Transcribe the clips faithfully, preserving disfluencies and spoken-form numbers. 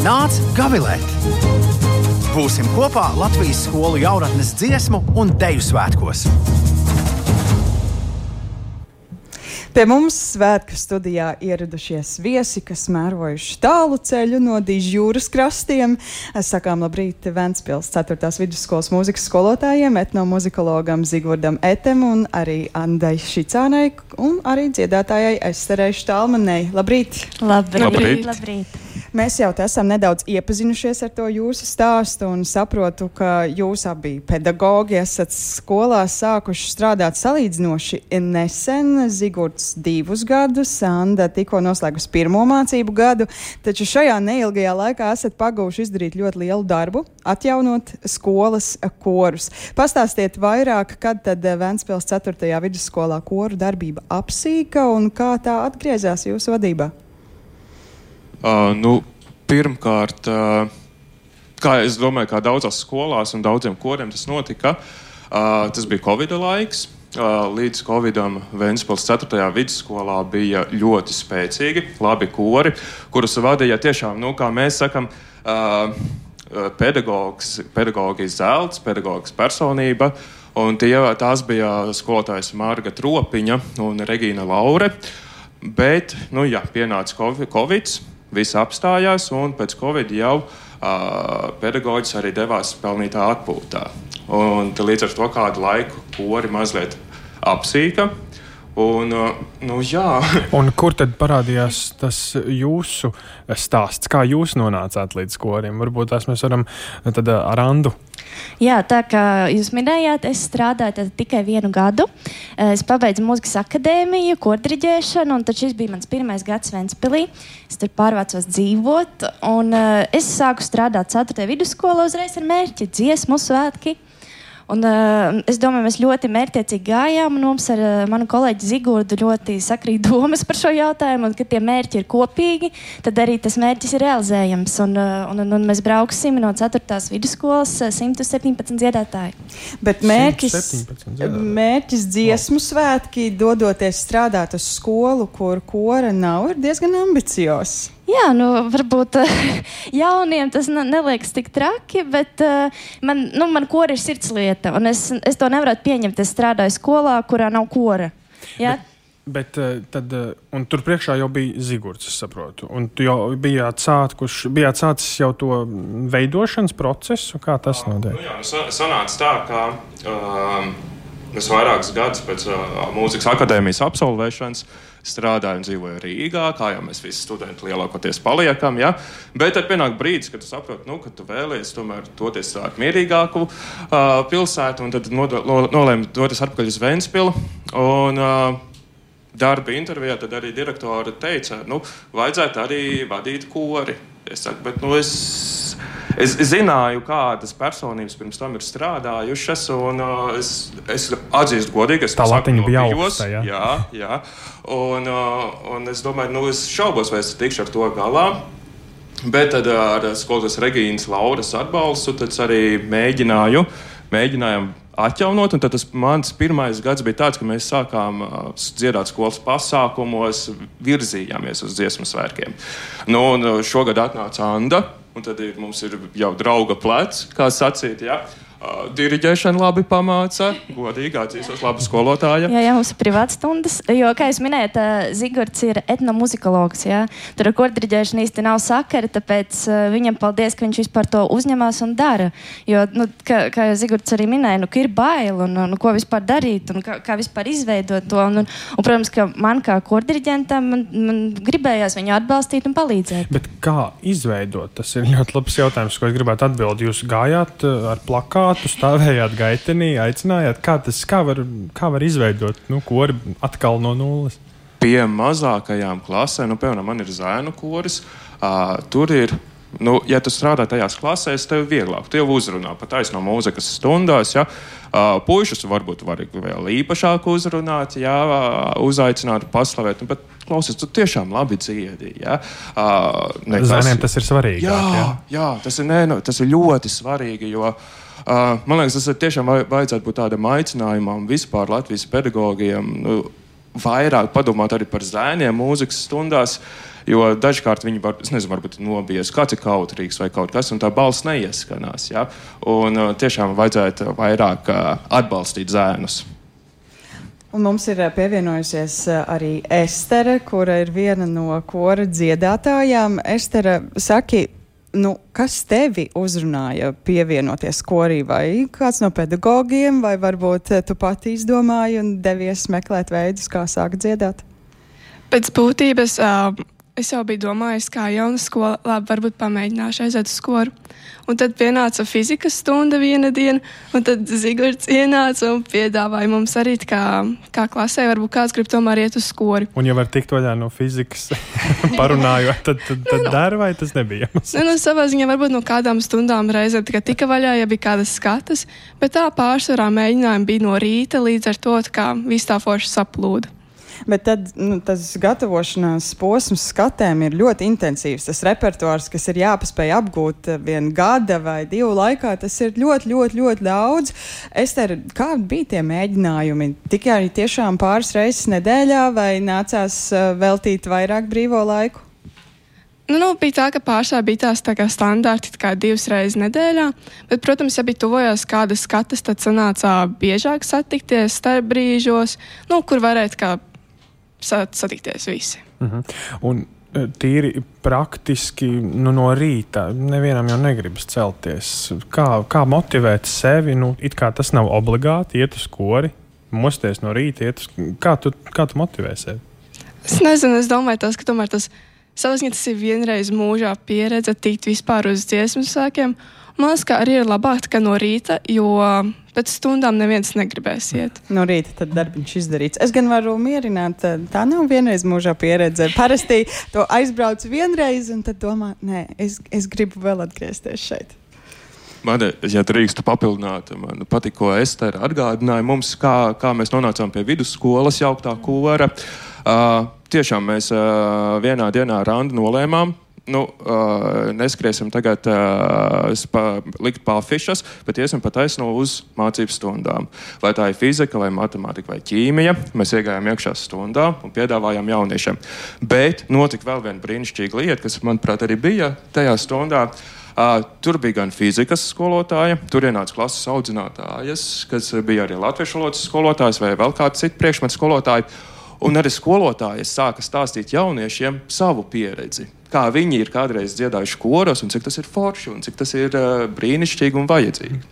Nāc gavilēt! Būsim kopā Latvijas skolu jauratnes dziesmu un deju svētkos. Pie mums svētku studijā ieradušies viesi, kas mērojuši tālu ceļu no Dižjūras krastiem. Sakām labrīt Ventspils ceturtās vidusskolas mūzikas skolotājiem, etnomuzikologam Zigvardam Etem un arī Andai Šicānai un arī dziedātājai Esterei Štalmanei. Labrīt! Labrīt! Labrīt. Labrīt. Mēs jau esam nedaudz iepazinušies ar to jūsu stāstu un saprotu, ka jūs abi pedagogi esat skolā sākuši strādāt salīdzinoši nesen. Zigurds divus gadus, Anda tikko noslēgus pirmo mācību gadu, taču šajā neilgajā laikā esat pagūši izdarīt ļoti lielu darbu, atjaunot skolas korus. Pastāstiet vairāk, kad tad Ventspils ceturtajā vidusskolā koru darbība apsīka un kā tā atgriezās jūsu vadībā? Uh, nu, pirmkārt, uh, kā es domāju, kā daudzās skolās un daudziem koriem tas notika, uh, tas bija Covida laiks. Uh, līdz Covidam Ventspils ceturtajā vidusskolā bija ļoti spēcīgi, labi kori, kurus vadīja tiešām, nu, kā mēs sakam, uh, pedagogs, pedagoģijas zelts, pedagoģijas personība, un tie, tās bija skolotājas Marga Tropiņa un Regīna Laure, bet, nu, jā, pienāca Covids, viss apstājās, un pēc Covid jau uh, pedagoģis arī devās pelnītā atpūtā. Un līdz ar to kādu laiku kori mazliet apsīka. Un, uh, nu, jā. Un kur tad parādījās tas jūsu stāsts? Kā jūs nonācāt līdz koriem? Varbūt tās mēs varam tad ar Andu. Jā, tā kā jūs minējāt, es strādāju tad tikai vienu gadu. Es pabeidzu mūzikas akadēmiju, kordiriģēšanu, un tad šis bija mans pirmais gads Ventspilī. Es tur pārvācos dzīvot, un uh, es sāku strādāt ceturtajā vidusskolā uzreiz ar mērķi dziesmu svētki. Un, uh, es domāju, mēs ļoti mērķtiecīgi gājām, un mums ar uh, manu kolēģi Zigurdu ļoti sakrīt domas par šo jautājumu, un kad tie mērķi ir kopīgi, tad arī tas mērķis ir realizējams. Un, uh, un, un mēs brauksim no ceturtās vidusskolas uh, simt septiņpadsmit dziedātāji. Bet mērķis, mērķis dziesmu svētki, dodoties strādāt uz skolu, kur kora nav, ir diezgan ambiciozs. Jā, nu, varbūt uh, jauniem tas ne, neliekas tik traki, bet uh, man, nu, man kora ir sirdslieta, un es, es to nevarētu pieņemt. Es strādāju skolā, kurā nav kora. Jā? Bet, bet tad, un tur priekšā jau bija Zigurds, es saprotu, un tu jau bijāt, sākuš, bijāt sācis jau to veidošanas procesu, kā tas notiek? Nu, jā, nu, sanāca tā, ka uh, es vairākus gadus pēc uh, mūzikas akadēmijas absolvēšanas strādāju un dzīvoju Rīgā, kā jau mēs visi studenti lielākoties paliekam, ja? Bet tad pienāk brīdis, kad tu saproti, nu, ka tu vēlies tomēr doties ar mierīgāku uh, pilsētu, un tad nodo, no, nolēmu doties atpakaļ uz Ventspilu, un uh, darba intervijā tad arī direktora teica, nu, vajadzētu arī vadīt kori. Es saku, bet, nu, es, es, es zināju, kādas personības pirms tam ir strādājušas, un uh, es, es atzīstu godīgi, es tā latiņa bija bijos, augsta, jā? Jā, jā. Un, uh, un es domāju, nu, es šaubos, vai es tikšu ar to galā. Bet tad ar skolotājas Regīnas Lauras atbalstu tad arī mēģināju, mēģinājām atjaunot, un tad tas mans pirmais gads bija tāds, ka mēs sākām uh, dziedāt skolas pasākumos, virzījāmies uz dziesmu svētkiem. Nu, un šogad atnāca Anda, un tad ir, mums ir jau drauga plecs, kā sacīt, jā. Uh, diriģēšana labi pamāca, godīgi atzīstos, laba skolotāja. Jā, jā, mums ir privātas stundas, jo, kā jūs minējat, Zigurds ir etnomuzikologs, jā. Tur ar kordiriģēšanu īsti nav sakara, tāpēc uh, viņam paldies, ka viņš vispār to uzņemās un dara. Jo, nu, kā, kā jau Zigurds arī minēja, nu, ka ir bail un, un ko vispār darīt un kā, kā vispār izveidot to. Un, un, un protams, ka man kā kordiriģentam man, man gribējās viņu atbalstīt un palīdzēt. Bet kā izveidot? Tas ir ļoti labs jautājums, ko es gribētu atbildēt. Jūs gājāt ar plakātu, tu stāvējāt gaitenī, aicinājāt, kā tas, kā var, kā var izveidot, nu, kori atkal no nulles? Pie mazākajām klasēm, nu, piemēram, man ir zēnu koris, uh, tur ir, nu, ja tu strādā tajās klasēs, tev vieglāk, tu jau uzrunā, pat taisno mūzikas stundās, ja, uh, puišus varbūt var vēl īpašāk uzrunāt, ja, uzaicināt, paslavēt, bet klausies, tu tiešām labi dziedi, ja. Uh, nekas, Zēniem tas ir svarīgi. Jā, jā, jā tas, ir, ne, tas ir ļoti svarīgi, jo Uh, man liekas, tas ir tiešām vajadzētu būt tādam aicinājumam vispār Latvijas pedagogiem. Nu, vairāk padomāt arī par zēniem mūzikas stundās, jo dažkārt viņi var, es nezinu, varbūt nobies, kāds ir kautrīgs vai kaut kas, un tā balss neieskanās, ja? Un uh, tiešām vajadzētu vairāk uh, atbalstīt zēnus. Un mums ir pievienojusies arī Estere, kura ir viena no kora dziedātājām. Estere, saki, nu, kas tevi uzrunāja pievienoties korī, vai kāds no pedagogiem, vai varbūt tu pati izdomāji un devies meklēt veidus, kā sākt dziedāt? Pēc būtības uh, es jau biju domājis, kā jauna skola, labi, varbūt pamēģināšu aiziet uz skoru. Un tad pienāca fizikas stunda viena diena, un tad Zigorts ienāca un piedāvāja mums arī, kā, kā klasē, varbūt kāds grib tomēr iet uz skori. Un ja var tikt vaļā no fizikas parunājot, tad, tad, tad dara, vai tas nebija? Nu, nu, savā ziņā varbūt no kādām stundām reizēm tikai tika vaļā, ja bija kādas skatas, bet tā pārsvarā mēģinājumi bija no rīta, līdz ar to, kā viss tā forši saplūda. Bet tad nu, tas gatavošanās posms skatēm ir ļoti intensīvs. Tas repertuārs, kas ir jāpaspēj apgūt viena gada vai divu laikā, tas ir ļoti, ļoti, ļoti daudz. Ester, kādi bija tie mēģinājumi? Tikai tiešām pāris reizes nedēļā vai nācās uh, veltīt vairāk brīvo laiku? Nu, nu, bija tā, ka pārsvarā bija tās tā kā standarti tā kā divas reizes nedēļā, bet, protams, ja bija tuvojās kādas skatas, tad sanācā biežāk satikties starp brīžos, nu, kur varētu kā satikties visi. Uh-huh. Un tīri praktiski nu, no rīta nevienam jau negribas celties. Kā, kā motivēt sevi? Nu, it kā tas nav obligāti iet uz kori, mosties no rīta, iet uz... Kā tu, kā tu motivē sevi? Es nezinu, es domāju tas, ka tomēr tas savas, ja tas ir vienreiz mūžā pieredze tikt vispār uz dziesmu svētkiem. Man liekas, ka arī ir labāk kā no rīta, jo pēc stundām neviens negribēs iet. No rīta tad darbiņš izdarīts. Es gan varu mierināt, tā nav vienreiz mūžā pieredze. Parasti to aizbrauc vienreiz un tad domā, nē, es, es gribu vēl atgriezties šeit. Man, ja drīkstu papildināt, man patīk, ko Estere atgādināja mums, kā, kā mēs nonācām pie vidusskolas jauktā kora. Uh, tiešām mēs uh, vienā dienā randu nolēmām, nu, uh, neskriesim tagad uh, spa, likt pāfišas, bet iesim pa taisno uz mācību stundām. Vai tā ir fizika, vai matemātika, vai ķīmija, mēs iegājām iekšā stundā un piedāvājām jauniešiem. Bet notika vēl viena brīnišķīga lieta, kas, manuprāt, arī bija tajā stundā. Uh, tur bija gan fizikas skolotāja, tur ienāca klases audzinātājas, kas bija arī latviešu valodas skolotājs vai vēl kāds cits priekšmetu skolotāji. Un arī skolotājas sāka stāstīt jauniešiem savu pieredzi, kā viņi ir kādreiz dziedājuši koros un cik tas ir forši un cik tas ir uh, brīnišķīgi un vajadzīgi.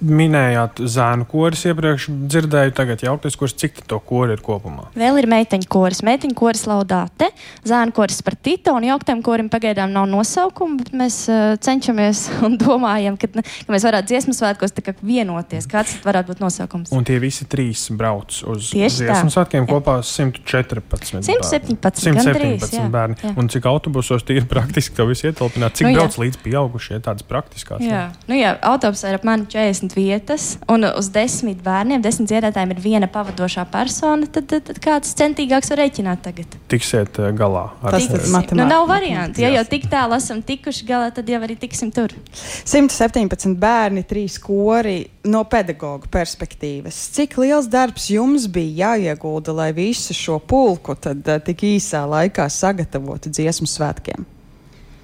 Minējāt zēnu koris iepriekš, dzirdēju tagad jauktais koris, cik to kori ir kopumā? Vēl ir meiteņu koris, meiteņu koris Laudāte, zēnu koris Spartita un jauktajam korim pagaidām nav nosaukuma, bet mēs uh, cenšamies un domājam, ka, ka mēs varētu dziesmu svētkos tā kā vienoties, kāds varētu būt nosaukums. Un tie visi trīs brauc uz Tieši dziesmu tā. svētkiem kopā simt četrpadsmit simt septiņpadsmit, gandrīz, jā, bērni. Jā. Un cik autobusos tie ir praktiski tev visi ietilpināt? Cik Nu, brauc līdz pieaugušie tādas praktiskās? Jā, nu jā, autobusā ir apmēram četrdesmit vietas, un uz desmit bērniem, desmit dziedātājiem ir viena pavadošā persona, tad, tad, tad kāds centīgāks var rēķināt tagad. Tiksiet uh, galā. Ar Tas ir matemātika. Nu, nav varianti. Ja jau tik tālu esam tikuši galā, tad jau arī tiksim tur. simt septiņpadsmit bērni, trīs kori no pedagoga perspektīvas. Cik liels darbs jums bija jāiegulda, lai visu šo pulku tad uh, tik īsā laikā sagatavotu dziesmu svētkiem?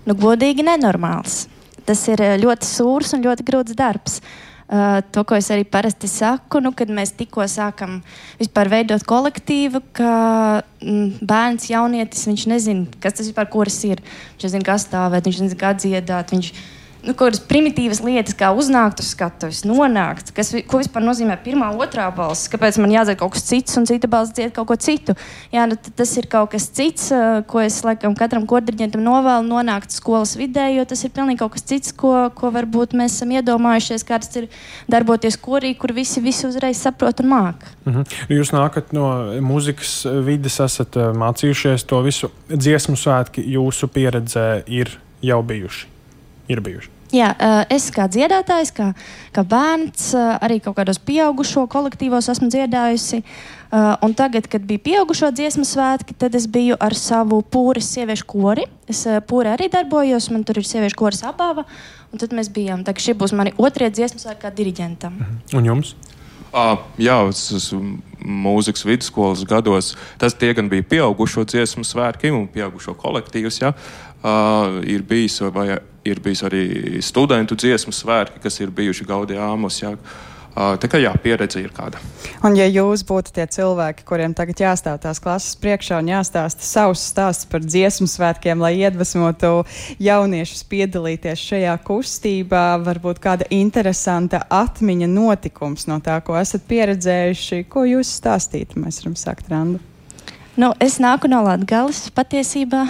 Nu, godīgi nenormāls. Tas ir ļoti sūrs un ļoti grūts darbs. Uh, to, ko es arī parasti saku, nu, kad mēs tikko sākam vispār veidot kolektīvu, ka mm, bērns, jaunietis, viņš nezina, kas tas vispār koris ir. Viņš nezina, kā stāvēt, viņš nezina, kā dziedāt, viņš nu, kādas primitīvas lietas, kā uznākt uz skatuves, nonākt, kas, ko vispār nozīmē pirmā, otrā balss, kāpēc man jādzied kaut kas cits un cita balss dzied kaut ko citu. Jā, nu, tas ir kaut kas cits, ko es laikam katram kordiriģentam novēlu nonākt skolas vidē, jo tas ir pilnīgi kaut kas cits, ko, ko varbūt mēs esam iedomājušies, kā tas ir darboties korī, kur visi, visi uzreiz saprot un māk. Mhm. Jūs nākat no mūzikas vides, esat mācījušies to visu. Dziesmu svētki jūsu pieredzē ir jau bijuši. Ir bijuši. Jā, es kā dziedātājs, kā, kā bērns, arī kaut kādos pieaugušo kolektīvos esmu dziedājusi. Un tagad, kad bija pieaugušo dziesmu svētki, tad es biju ar savu pūres sieviešu kori. Es pūrē arī darbojos, man tur ir sieviešu koris Abava. Un tad mēs bijām, tā, šie būs mani otrie dziesmu svētki kā diriģentam. Un jums? Uh, jā, tas mūzikas vidusskolas gados, tas tie gan bija pieaugušo dziesmu svētki un pieaugušo kolektīvus, jā. Uh, ir bijis, vai ir bijis arī studentu dziesmu svētki, kas ir bijuši Gaudījāmos, jā. Uh, tā kā jā, pieredze ir kāda. Un ja jūs būtu tie cilvēki, kuriem tagad jāstāv tās klases priekšā un jāstāsta savus stāstus par dziesmu svētkiem, lai iedvesmotu jauniešus piedalīties šajā kustībā, varbūt kāda interesanta atmiņa notikums no tā, ko esat pieredzējuši, ko jūs stāstītu, mēs varam sākt, Randa. Nu, es nāku no Latgales patiesībā,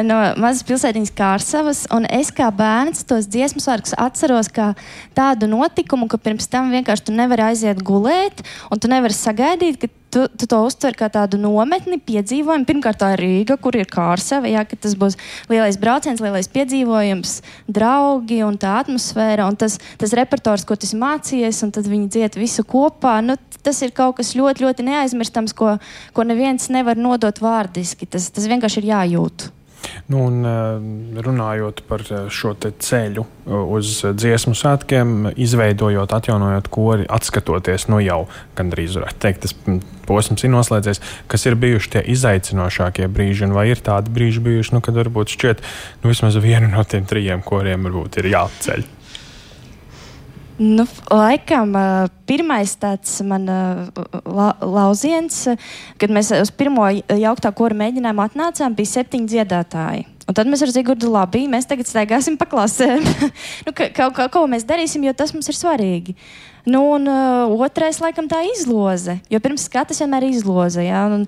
no mazas pilsētiņas Kārsavas, un es kā bērns tos dziesmu svētkus atceros kā tādu notikumu, ka pirms tam vienkārši tu nevari aiziet gulēt, un tu nevari sagaidīt, ka tu, tu to uztver kā tādu nometni, piedzīvojumu. Pirmkārt tā ir Rīga, kur ir Kārsava, jā, ka tas būs lielais brauciens, lielais piedzīvojums, draugi un tā atmosfēra, un tas, tas repertors, ko tu esi mācījies, un tad viņi dzied visu kopā, nu, tas ir kaut kas ļoti, ļoti neaizmirstams, ko, ko neviens nevar nodot vārdiski. Tas, tas vienkārši ir jājūt. Nu, un, runājot par šo te ceļu uz dziesmu svētkiem, izveidojot, atjaunojot kori, atskatoties, nu jau gandrīz varētu teikt, tas posms ir noslēdzies, kas ir bijuši tie izaicinošākie brīži, un vai ir tādi brīži bijuši, nu, kad varbūt šķiet, nu, vismaz vienu no tiem trījiem koriem varbūt ir jāceļ. Nu, laikam pirmais tāds man la, lauziens, kad mēs uz pirmo jauktā kora mēģinājumu atnācām, bija septiņi dziedātāji. Un tad mēs ar Zigurdu labi, mēs tagad staigāsim pa klasēm. nu, ka, kaut kā, ko mēs darīsim, jo tas mums ir svarīgi. Nu, un uh, otrais laikam tā izloze, jo pirms skatas vienmēr izloze, jā, un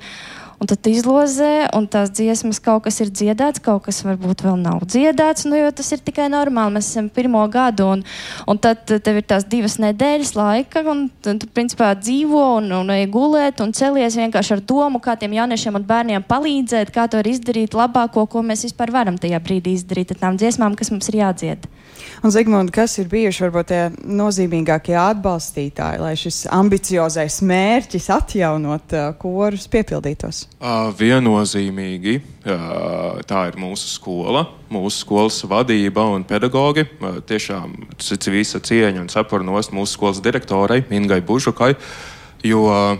Un tad izlozē, un tās dziesmas kaut kas ir dziedāts, kaut kas varbūt vēl nav dziedāts, nu, jo tas ir tikai normāli. Mēs esam pirmo gadu, un, un tad tev ir tās divas nedēļas laika, un tu, principā, dzīvo un, un ej gulēt, un celies vienkārši ar domu, kā tiem jauniešiem un bērniem palīdzēt, kā to var izdarīt labāko, ko mēs vispār varam tajā brīdī izdarīt ar tām dziesmām, kas mums ir jādzied. Un, Zigmund, kas ir bijuši varbūt tie nozīmīgākie atbalstītāji, lai šis ambiciozais mērķis atjaunot uh, korus piepildītos? Uh, viennozīmīgi uh, tā ir mūsu skola, mūsu skolas vadība un pedagogi. Uh, tiešām visa cieņa un cepurnost mūsu skolas direktorai Ingai Bužukai, jo uh,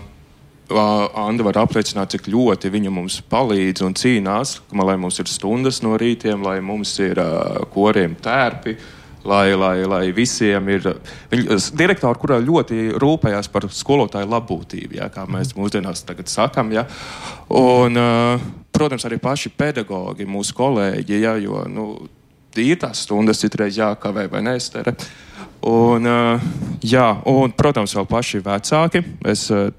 Anda var apliecināt, cik ļoti viņa mums palīdz un cīnās, lai mums ir stundas no rītiem, lai mums ir uh, koriem tērpi, lai, lai, lai visiem ir... Viņa, direktori, kurā ļoti rūpējās par skolotāju labbūtību, jā, kā mēs mūsdienās tagad sakam. Jā. Un, uh, protams, arī paši pedagogi, mūsu kolēģi, jā, jo nu, ir tās stundas citreiz jākavē vai neestere. Un, uh, jā, un, protams, vēl paši vecāki. Es uh,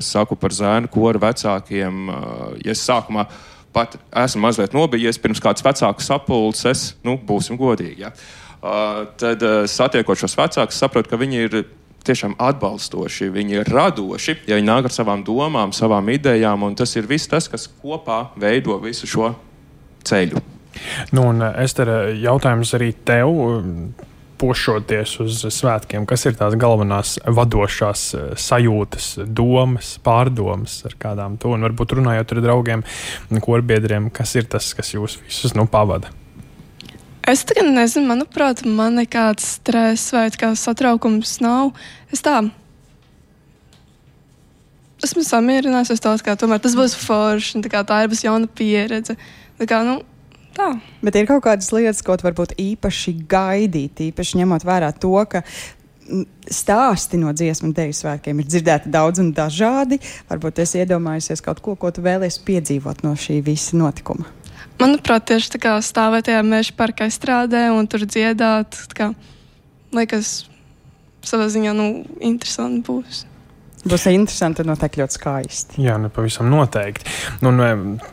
saku par zēnu koru vecākiem. Uh, ja es sākumā pat esmu mazliet nobijies pirms kāds vecāku sapulces, nu, būsim godīgi, jā. Uh, tad uh, satiekot šos vecākus, saprotu, ka viņi ir tiešām atbalstoši, viņi ir radoši, ja viņi nāk ar savām domām, savām idejām, un tas ir viss tas, kas kopā veido visu šo ceļu. Nu, un Ester, jautājums arī tev, pošoties uz svētkiem, kas ir tās galvenās vadošās sajūtas, domas, pārdomas ar kādām to, un varbūt runājot ar draugiem, korbiedriem, kas ir tas, kas jūs visus nu pavada? Es tagad nezinu, manuprāt, man nekāds stress vai kāds satraukums nav. Es tā esmu samierinājusies uz to, ka tomēr tas būs forši, tā kā tā ir būs jauna pieredze. Tā kā, nu, tā. Bet ir kaut kādas lietas, ko varbūt īpaši gaidīt, īpaši ņemot vērā to, ka stāsti no dziesmu un deju svētkiem ir dzirdēti daudz un dažādi. Varbūt es iedomājusies kaut ko, ko tu vēlies piedzīvot no šī visa notikuma. Manuprāt, tieši tā kā stāvēt tajā meža parka aizstrādē un tur dziedāt, tā kā, liekas, savā ziņā, nu, interesanti būs. Būs interesanti un noteikti ļoti skaisti. Jā, nu, pavisam noteikti. Un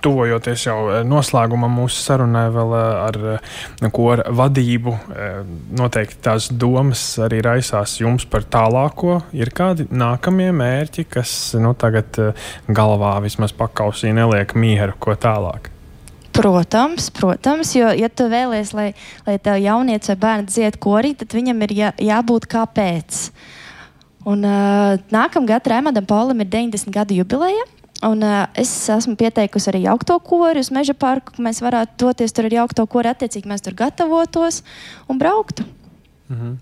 tuvojoties jau noslēgumam mūsu sarunai vēl ar kora vadību, noteikti tās domas arī raisās jums par tālāko. Ir kādi nākamie mērķi, kas, nu, tagad galvā vismaz pakausī neliek mieru, ko tālāk? Protams, protams, jo, ja tu vēlies, lai, lai tev jaunietis vai bērns dzied korī, tad viņam ir jā, jābūt kāpēc. Un uh, nākamgad Raimondam Paulam ir deviņdesmit gadu jubileja, un uh, es esmu pieteikusi arī jaukto kori uz Meža parku, ka mēs varētu doties tur ar jaukto kori, attiecīgi mēs tur gatavotos un brauktu. Mhm.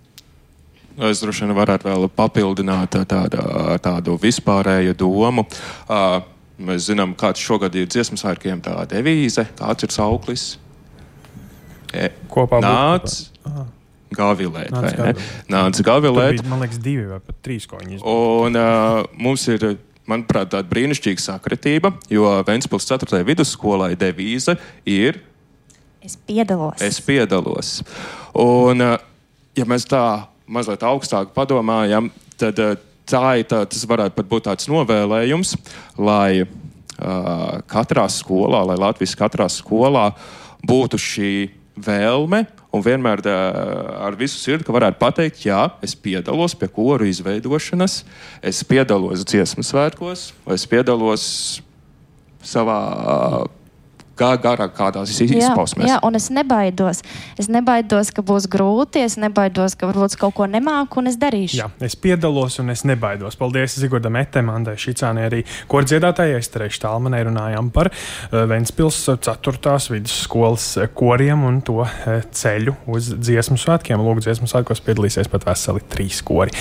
es droši vien varētu vēl papildināt tādu, tādu vispārēju domu. Uh, mēs zinām, kāds šogad ir dziesmu svētkiem tā devīze, kāds ir sauklis. E, Kopā nāc gavilēt, vai ne? Nāc gavilēt. Bija, man liekas, divi vai pat trīs, ko viņi izmanto. Un uh, mums ir, manuprāt, tāda brīnišķīga sakritība, jo Ventspils ceturtajai vidusskolai devīze ir Es piedalos. Es piedalos. Un, uh, ja mēs tā mazliet augstāk padomājam, tad uh, tā ir tā, tas varētu pat būt tāds novēlējums, lai uh, katrā skolā, lai Latvijas katrā skolā būtu šī vēlme un vienmēr uh, ar visu sirdi, ka varētu pateikt, jā, es piedalos pie koru izveidošanas, es piedalos dziesmu svētkos, vai es piedalos savā uh, Kā garāk kādās izpausmēs. Jā, jā, un es nebaidos. Es nebaidos, ka būs grūti, es nebaidos, ka varbūt kaut ko nemāku, un es darīšu. Jā, es piedalos un es nebaidos. Paldies Zigurdam Etem, Andai Šicānei, arī kordziedātājai Esterei Štālmanai runājām par uh, Ventspils ceturtās vidusskolas koriem un to uh, ceļu uz dziesmu svētkiem. Lūk, dziesmu svētkos piedalīsies pat veseli trīs kori.